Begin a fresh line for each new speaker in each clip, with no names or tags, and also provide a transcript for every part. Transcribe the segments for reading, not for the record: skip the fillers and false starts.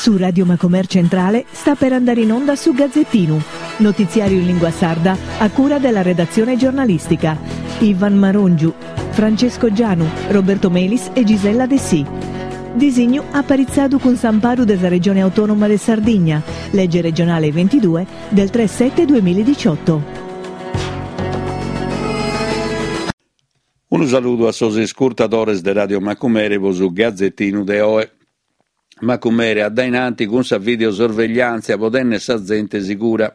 Su Radio Macomer Centrale sta per andare in onda su Gazzettinu, notiziario in lingua sarda a cura della redazione giornalistica. Ivan Marongiu, Francesco Gianu, Roberto Melis e Gisella Dessì. Disignu aparitzadu cun s'amparu de sa Regione Autonoma de Sardigna, lege regionale 22 del 3 7 2018.
Unu saludu a sos iscurtadores de Radio Macumere pro su Gazetinu de oe. Macumere a dae in anti cun sa videosorvegliàntzia pro tènnere sa zente sigura.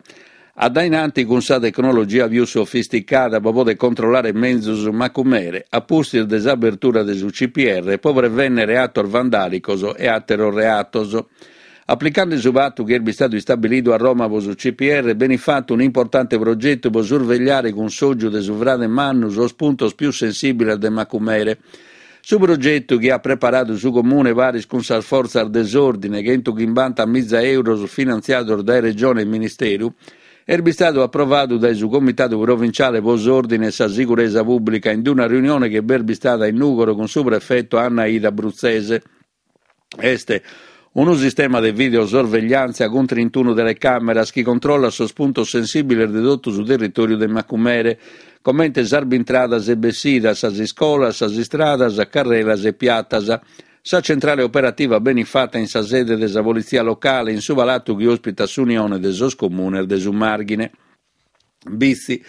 A dae in anti cun sa tecnologia pius sofisticada pro poder controllare menzus Macumere a pustis de s'abertura de su CPR pro prevènnere atos vandàlicos e àteros reatos. Aplicande su patu chi est bistadu istabilidu a Roma pro su CPR benit fatu un'importante progetu pro survegliare cun s'ògiu de su frade mannu sos puntos pius sensìbiles de Macumere. Su progetu chi at preparadu su Comune paris cun sas fortzas de s'òrdine, chentuchimbantamiza euros finantziados dae Regione e Ministeru, est bistadu aprovadu dae su Comitadu Provinciale pro s'Òrdine e sa Siguresa Pùblica in una riunione chi b'est bistada in Nùgoro cun su prefeto Anna Ida Bruzzese. Est unu sistema de videosorvegliàntzia cun trintunu telecàmeras chi controllat sos puntos sensìbiles de totu su territòriu de Macumere, comente sas bintradas e bessidas, sas iscolas, sas istradas, carrelas e piatas. Sa centrale operativa benit fata in sa sede de sa Politzia Locale, in su palatu chi òspitat s'Unione de sos Comunes de su Màrghine. Bitzi,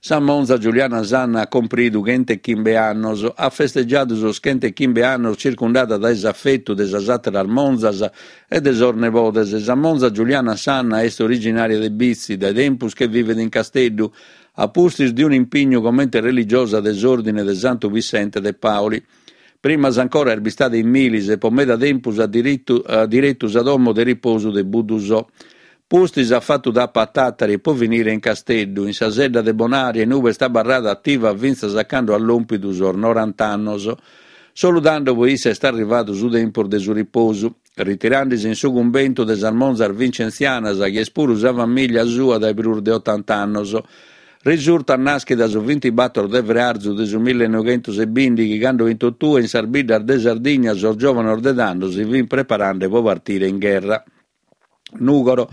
Sa monza Giuliana Sanna at cumpridu chentechimbe annos. At festegiadu sos chentechimbe annos circundada dae s'afetu de sas àteras monzas e de sos nebodes. Sa monza Giuliana Sanna est originària de Bitzi, dae tempus che vivet in Casteddu, a pustis de un'impignu comente religiosa de s'Òrdine de Santu Pissente de Paoli. Primas ancora est bistada in Milis e po meda tempus at diretu sa domo de riposu de Buddusò. Pustis at fatu tapa a Tàtari e po finire in Casteddu, in sa sedda de Bonaria in ube est abarrada ativa fintzas a cando at lòmpidu sos norant'annos. Solu tando po issa est arrivadu su tempus de su riposu, ritirandesi in su cumbentu de sas monzas vincentzianas chi est puru sa famìllia sua dae prus de otant'annos. Risurtat nàschida su bintibator de frearzu de su millenoighentos-e-bìndighi, cando in totue in sas biddas de Sardigna sos giòvanos de tando si fint preparende pro partire in gherra. Nùgoro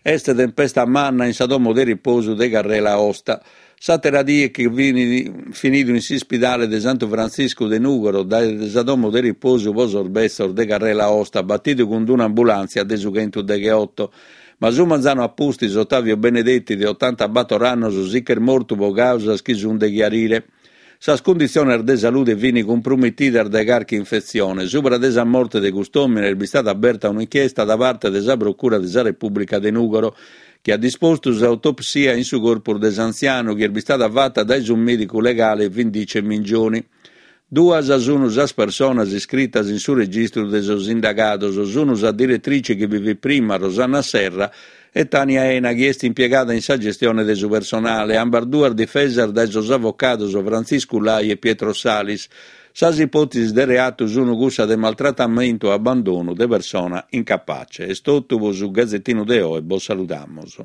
est tempesta manna in sa domo de riposu de carrela Aosta. S'àtera die che fit finidu in s'ispidale de Santu Frantziscu de Nùgoro dae sa domo de riposu pro sos betzos de carrela Aosta, batidu cun un'ambulàntzia de su chentudegheoto. Ma su manzanu a pustis Ottavio Benedetti, de otantabator annos, si ch'est mortu pro càusas chi sunt de chiarire. Sas cunditziones de salude fint cumprumitidas dae carchi infetzione. Subra de sa morte de cust'òmine est bistada aberta un'inchiesta da parte de sa Procura de sa Repùblica de Nùgoro, chi at dispostu s'autopsia in su corpus de s'antzianu, chi est bistada fata dae su mèdicu legale Vindice Mingioni. Duas sunu sas personas iscritas in su registru de sos indagados, sunu sa diretrice chi bi fit prima, Rosanna Serra, e Tania Ena chi est impiegada in sa gestione de su personale, ambas duas difesas dae sos avocados Frantziscu Lai e Pietro Salis. Sas ipòtesis de reatu sunu cussa de maltratamentu e abbandonu de persona incapace. Est totu pro su Gazetinu de oe, bos saludamos.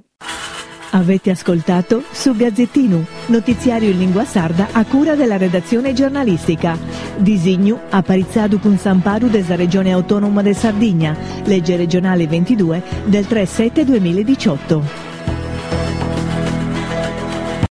Avete ascoltato Su Gazzettinu, notiziario in lingua sarda a cura della redazione giornalistica. Disignu aparitzadu cun s'amparu de sa Regione Autonoma de Sardigna, legge regionale 22 del 3 7 2018.